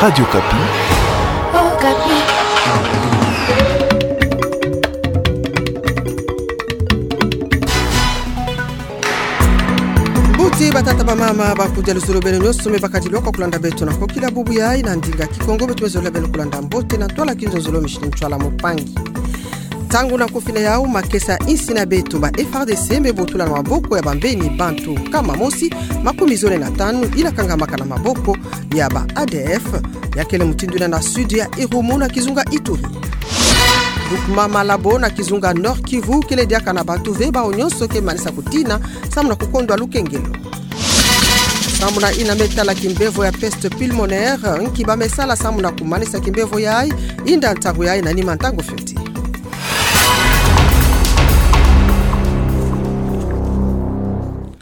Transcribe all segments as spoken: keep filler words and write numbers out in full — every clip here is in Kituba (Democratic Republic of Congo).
Radio Okapi. Okapi. Mbuti batata bamama, bakudia luzolo beno nyonso me bakadilwaka kulanda beto na kokila bubu yayi na ndinga Kikongo. Beto me zola beno kulanda mbote na ntwala kinzonzolo, Micheline Ntwala Mopangi. Ntangu na kofina yau, makesa insi na beto, ba F A R D C me botula na maboko ya bambeni bantu nkama mosi makumi zole na tanu ina kangamaka na maboko ya ba A D F. Ya kele mutindu ina na sud ya Irumu na kizunga Ituri. Groupement Malabo na kizunga Nord-Kivu kele diaka na bantu ve bawu nyonso ke manisa kutina samu na kukondwa lukengelo. Samu na ina me tala kimbevo ya peste pulmonaire, nki ba me sala samu na kumanisa kimbevo yayi, inda ntangu yayi na nima ntangu fioti.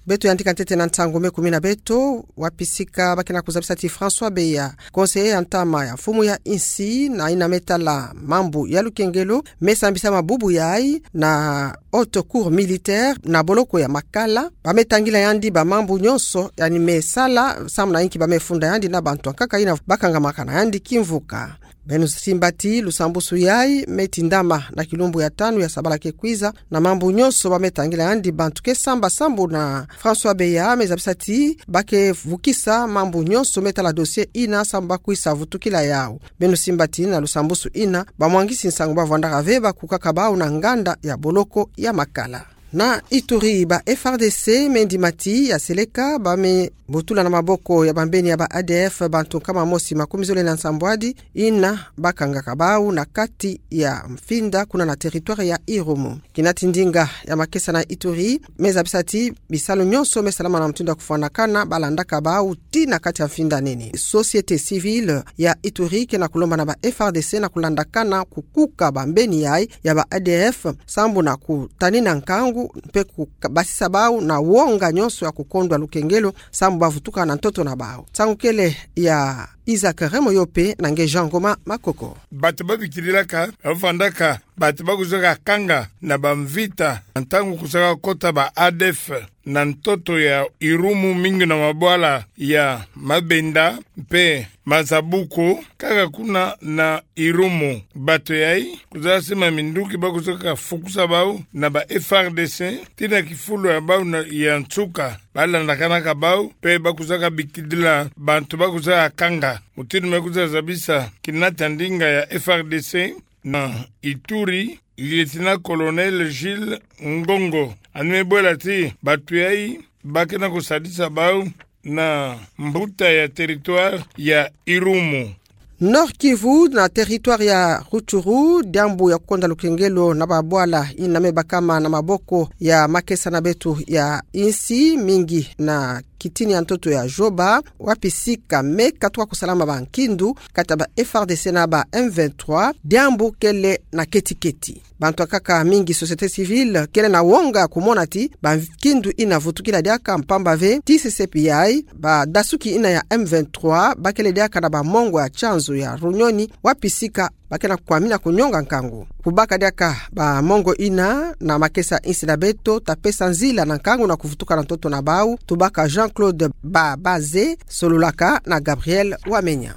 Beto yandika ntete na nsangu me kumina beto, wapi sika ba ke na kuzabisa ti François Beya, conseiller ya ntama ya mfumu ya insi, na ina me tala mambu ya lukengelo, me sambisa mabubu yayi na Haute Cour militaire na boloko ya Makala. Ba me tangila yandi ba mambu nyonso, yandi me sala, samu na inki ba me funda yandi na bantu ankaka ina ba kangamaka na yandi kimvuka. Beno simba ti lusambusu yayi me tindama na kilumbu ya tanu ya sabala ke kwiza, na mambu nyonso ba me tangila yandi bantu ke samba samu na François Beya me zabisa ti ba ke vukisa mambu nyonso me tala dossier ina samu ba kwisa vutukila yau. Beno simba ti na lusambusu ina, ba mwangisi nsangu ba vwandaka ve ba kukaka bawu na nganda ya boloko ya Makala. Na Ituri, ba F A R D C me ndima ti ya seleka ba me botula na maboko ya bambeni ya ba A D F bantu nkama mosi makumi zole na nsambwadi ina ba kangaka bawu na kati ya mfinda kuna na territoire ya Irumu. Kina ti ndinga ya makesa na Ituri me zabisa ti bisalu nyonso me salama na mutindu ya kufwanakana ba landaka bawu tii na kati ya mfinda nene. Société civile ya Ituri ke na kulomba na ba F A R D C na kulandakana kukuka bambeni yayi ya ba A D F, samu na kutanina nkangu mpe kubasisa bawu na wonga nyonso ya kukondwa lukengelo samu ba vutuka na ntoto na bawu. Nsangu kele ya Isaac Remoyope na nge Jean Ngoma Makoko. Bantu ba bikililaka, ba vandaka, bantu ba kwizaka kanga na ba mvita, ntangu kwizaka kota ba A D F na ntoto ya Irumu, mingi na mabwala ya Mabenda mpe Mazabuku, kaka kuna na Irumu. Bantu yayi kwizaka sima minduki ba kwizaka fukusa bawu na ba F A R D C, tii na kifulu ya bawu na, ya nsuka, ba landakanaka bawu, mpe ba kwizaka bikilila bantu ba kwizaka kanga. Mutindu me kwiza zabisa kina ti ndinga ya F A R D C na Ituri, Lieutenant-colonel Gilles Ngongo, yandi me bwela ti bantu yayi ba ke na kusadisa bawu na mbuta ya territoire ya Irumu. Nord-Kivu na territoire ya Rutshuru, diambu ya kukonda lukengelo na babwala ina me bakama na maboko ya makesa na beto ya insi, mingi na kitini ya ntoto ya Joba, wapi sika me katuka kusalama ba nkindu kati ya ba F A R D C na ba M vingt-trois, diambu kele na keti-keti. Bantu ankaka, mingi société civile, kele na wonga kumona ti ba nkindu ina vutukila diaka, mpamba ve tii sesepi yayi, badasuki ina ya M vingt-trois ba kele diaka na ba mongo ya tianzo ya Runyoni, wapi sika ba ke na kwamina kunyonga nkangu. Kubaka diaka ba mongo ina na makesa insi na beto ta pesa nzila na nkangu na kuvutuka na ntoto na bawu. Tubaka Jean-Claude Babaze, sololaka na Gabriel Wamenya.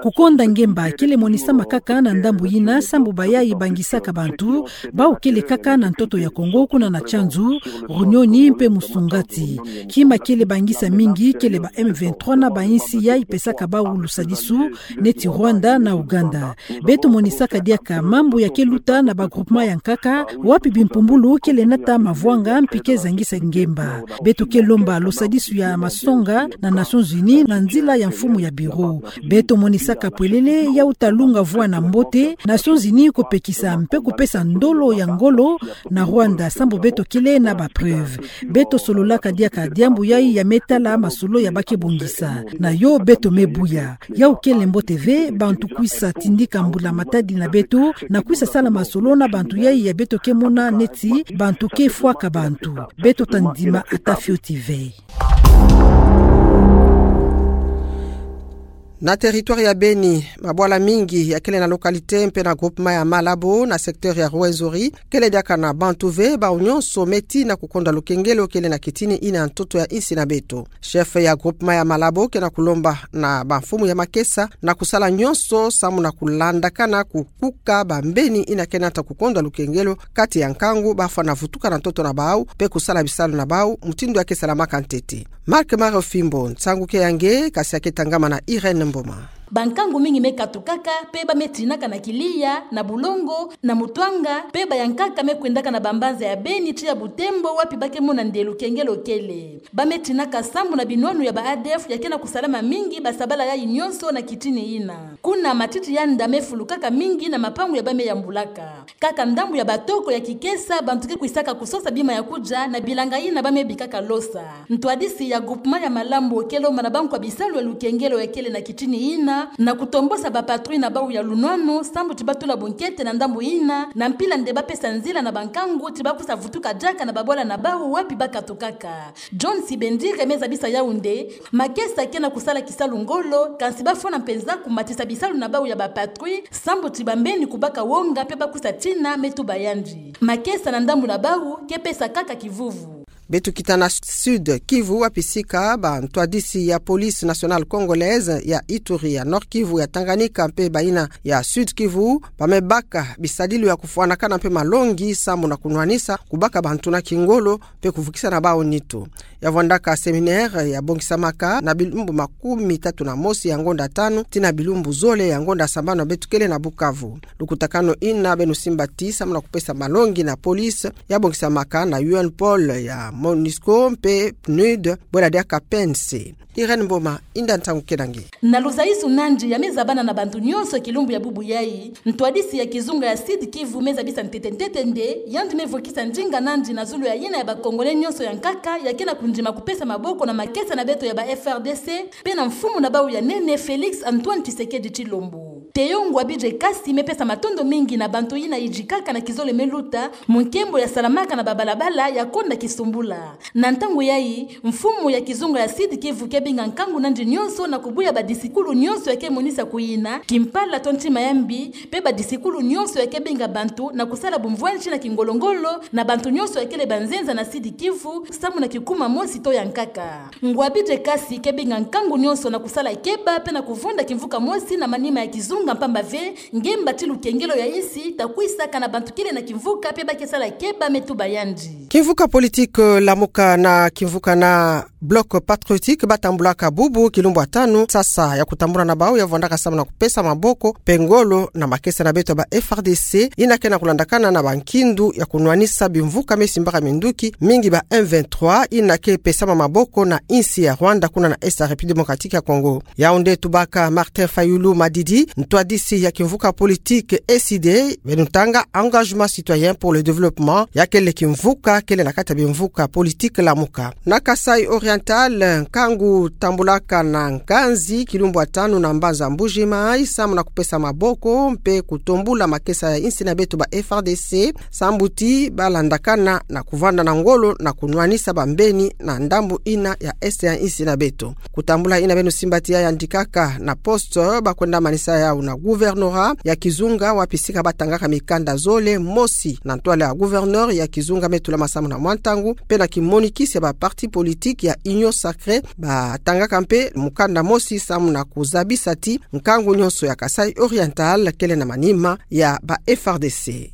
Kukonda ngemba kele monisamaka kaka na ndambu yina, sambu bayayi bangisaka bantu, bawu kele kaka na ntoto ya Kongo, kuna na Tianzu, Runyoni mpe Musungati. Kima kele bangisa mingi kele ba M vingt-trois na ba insi yayi pesaka bawu lusadisu, neti Rwanda na Uganda. Beto monisaka diaka mambu ya ke luta na ba groupement ya nkaka, wapi bimpumbulu kele nata mavwanga mpi ke zangisa ngemba. Beto ke lomba lusadisu ya masonga na Nations Unies na nzila ya mfumu ya bureau. Beto monisaka pwelele ya uta lunga vwa na mbote, Nations Unies kupekisa mpe kupesa ndolo ya ngolo na Rwanda, sambu beto kele na ba preuve. Beto sololaka diaka diambu yayi ya me tala masolo ya ba ke bongisa. Na yo beto me buya. Yawu kele mbote ve bantu kwisa tindika mbula matadi na beto, na kwisa sala masolo na bantu yayi ya beto ke mona neti bantu ke fwaka bantu. Beto ta ndima ata fioti ve. Na territoire ya Beni, mabwala mingi yakele na localité mpe na groupement ya Malabo, na secteur ya Rwenzori, kele diaka na bantu ve, bawu nyonso me tina kukondwa lukengelo kele na kitini ina ntoto ya insi na beto. Chef ya groupement ya Malabo ke na kulomba na bamfumu ya makesa na kusala nyonso samu na kulandakana kukuka bambeni ina ke nata kukondwa lukengelo kati ya nkangu bafwana vutuka na ntoto na bawu, mpe kusala bisalu na bawu mutindu ya ke salamaka ntete. Marc Mario Fimbo, nsangu ke ya nge, kasi ya ke tangama na Irène Mboma. Bankangu mingi me katukaka, mpe ba me tinaka na Kilia, na Bulongo, na Mutuanga, mpe bayankaka me kwendaka na bambanza ya Beni tii ya Butembo, wapi ba ke mona nde lukengelo kele. Ba me tinaka sambu na binwanu ya ba A D F ya ke na kusalama mingi basabala yayi nyonso na kitini ina. Kuna matiti ya nda me fulukaka mingi na mapangu ya ba me yambulaka. Kaka ndambu ya batoko ya Kikesa, bantu ke kwisaka kusosa bima ya kudia na bilanga ina ba me bikaka losa. Ntwadisi ya groupement ya Malabo ke lomba na bankwa bisalu ya lukengelo ya kele na kitini ina, na kutombosa bapatrouille na bawu ya lunwanu, sambu ti ba tula bunkete na ndambu ina, na mpila nde ba pesa nzila na bankangu ti ba kwiza vutuka diaka na babwala na bawu wapi ba katukaka. John Sibendire me zabisa yawu nde, makesa ke na kusala kisalu ngolo, kansi bafwana mpenza kumatisa bisalu na bawu ya bapatrouille, sambu ti bambeni kubaka wonga mpe ba kwiza tina me tuba yandi. Makesa na ndambu na bawu ke pesa kaka kivuvu. Beto kita na Sud Kivu, wapi sika bantwadisi ya Police Nationale Congolaise ya Ituri, ya Nord Kivu, ya Tanganyika mpe bayina ya Sud Kivu, ba me baka bisadilu ya kufwanakana mpe malongi samu na kunwanisa kubaka bantu na kingolo mpe kuvukisa na bawu nitu. Ya vwandaka séminaire ya bongisamaka na bilumbu makumi tatu na mosi ya ngonda tanu tii na bilumbu zole ya ngonda sambanu, beto kele na Bukavu. Lukutakanu ina beno simba ti samu na kupesa malongi na police ya bongisamaka na U N Pol, ya MONUSCO mpe PNUD, bwela diaka P N C. Irène Mboma, inda ntangu ke na nge. Na luzaisu nandi ya me zabana na bantu nyonso kilumbu ya bubu yayi, ntwadisi ya kizunga ya Sud Kivu me zabisa ntete ntete nde, yandi me vukisa ndinga nandi na zulu ya yina ya ba Congolais nyonso ya nkaka ya ke na kundima kupesa maboko na makesa na beto ya ba F R D C, mpe na mfumu na bawu ya nene Félix Antoine Tshisekedi Tshilombo. Théo Ngouabidje Kassi me pesa matondo mingi na bantu yina yidikaka na kizole me luta, mu nkembo ya salamaka na babalabala ya konda kisumbula. Na ntangu yayi, mfumu ya kizunga ya Sud Kivu ke binga nkangu nandi nyonso na kubuya badisikulu nyonso ya ke monisa kuyina kimpala to ntima ya mbi, mpe badisikulu nyonso ya ke binga bantu na kusala bumvwanti na kingolo-ngolo na bantu nyonso ya kele banzenza na Sud Kivu, samu na kikuma mosi to ya nkaka. Ngouabidje Kassi ke binga nkangu nyonso na kusala keba mpe na kuvonda kimvuka mosi na manima ya kizunga, mpamba ve ngemba ti lukengelo ya insi ta kwisaka na bantu kele na kimvuka mpe ba ke sala keba, me tuba yandi. Kimvuka politique Lamuka na kimvuka na Bloc Patriotique ba tambulaka bubu kilumbu ya tanu sasa ya kutambula na bawu ya vwandaka samu na kupesa maboko mpe ngolo na makesa na beto ba F R D C, ina ke na kulandakana na bankindu ya kunwanisa bimvuka me simbaka minduki mingi ba M vingt-trois, ina ke pesama maboko na insi ya Rwanda kuna na Est ya République Démocratique ya Congo. Yawu nde tubaka Martin Fayulu Madidi, ntwadisi ya kimvuka politique E C D, beno tanga Engagement Citoyen pour le Développement, ya kele kimvuka kele na kati ya bimvuka politique Lamuka. Na Kasaï Oriental, nkangu tambulaka na nkanzi kilumbu ya tanu na mbanza Mbuji-Mayi samu na kupesa maboko mpe kutombula makesa ya insi na beto ba F R D C, sambu ti ba landakana na kuvanda na ngolo na kunwanisa bambeni na ndambu ina ya Est ya insi na beto. Kutambula ina beno simba ti ya yandikaka na Poste, ba kwenda manisa yawu na gouvernorat ya kizunga, wapi sika ba tangaka mikanda zole, mosi na ntwala ya gouverneur ya kizunga me tulama samu na mwa ntangu, mpe na kimonikisi ya ba parti politique ya Union Sacrée, ba tangaka mpe mukanda mosi samu na kuzabisa ti nkangu nyonso ya Kasaï Oriental kele na manima ya ba F R D C.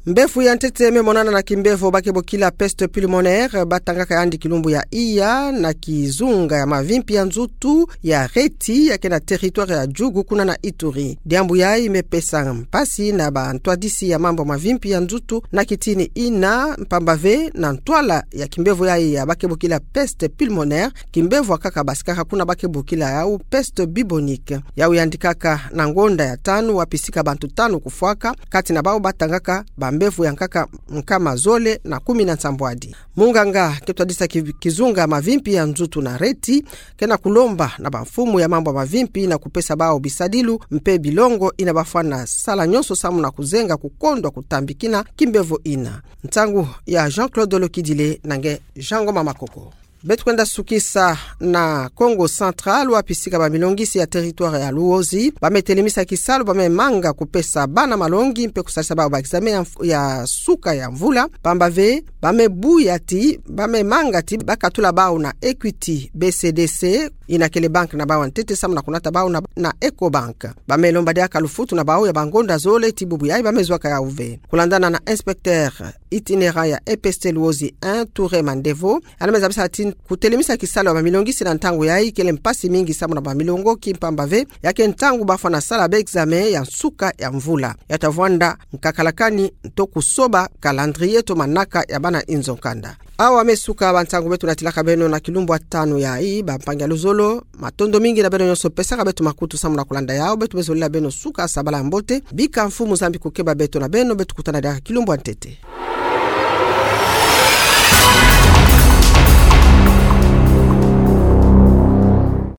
Mbevo ya ntete me monana na kimbevo ba ke bokila peste pulmonaire, ba tangaka yandi kilumbu ya iya na kizunga ya mavimpi ya nzutu ya Reti, ya ke na territoire ya Djugu kuna na Ituri. Diambu yayi me pesa mpasi na bantwadisi ya mambu mavimpi ya nzutu na kitini ina, mpamba ve na ntwala ya kimbevo yayi ya ba ke bokila peste pulmonaire, kimbevo ya nkaka basikaka kuna ba ke bokila yawu peste bubonique. Yawu yandikaka na ngonda ya tanu, wapi sika bantu tanu kufwaka, kati na bawu ba tangaka bambevo ya nkaka nkama zole na kumi na nsambwadi. Munganga ke twadisa ki-, kizunga mavimpi ya nzutu na Reti ke na kulomba na bamfumu ya mambu mavimpi na kupesa bawu bisadilu mpe bilongo ina ba fwana sala nyonso samu na kuzenga kukondwa kutambikina kimbevo ina. Nsangu ya Jean-Claude Lokidile na nge Jean Ngoma Makoko. Beto kwenda sukisa na Kongo Central, wapi sika bamilongisi ya territoire ya Luozi bame telemisa kisalu, bame manga kupesa bana malongi mpe kusalisa bau ba examen ya, ya suka ya mvula. Pamba ve, bame buya ti, bame manga ti bakatula bau na Equity B C D C, ina kele banque na bau ya ntete, samu na kunata bau na, na Ecobank. Bame lomba diaka lufutu na bau ya bangonda zole ti bubu yayi bame zwaka yau ve. Kulandana na inspecteur itinérant ya E P S T Luozi un, Touré Mandevo, yandi me zabisa ti kutelemisa kisalu ya bamilongisi na ntangu yayi kele mpasi mingi samu na bamilongoki, pamba ve ya ke ntangu bafwana sala ba examen ya nsuka ya mvula. Ya ta vwanda nkakalakani to kusoba calendrier to manaka ya bana inzo nkanda. Awa me suka bansangu beto natilaka beno na kilumbu ya tanu yayi, bampangi ya luzolo. Matondo mingi na beno nyonso pesaka beto makutu samu na kulanda yau. Beto me zolila beno suka sabala ya mbote. Bika Mfumu Nzambi kukeba beto na beno, beto kutana diaka kilumbu ya ntete.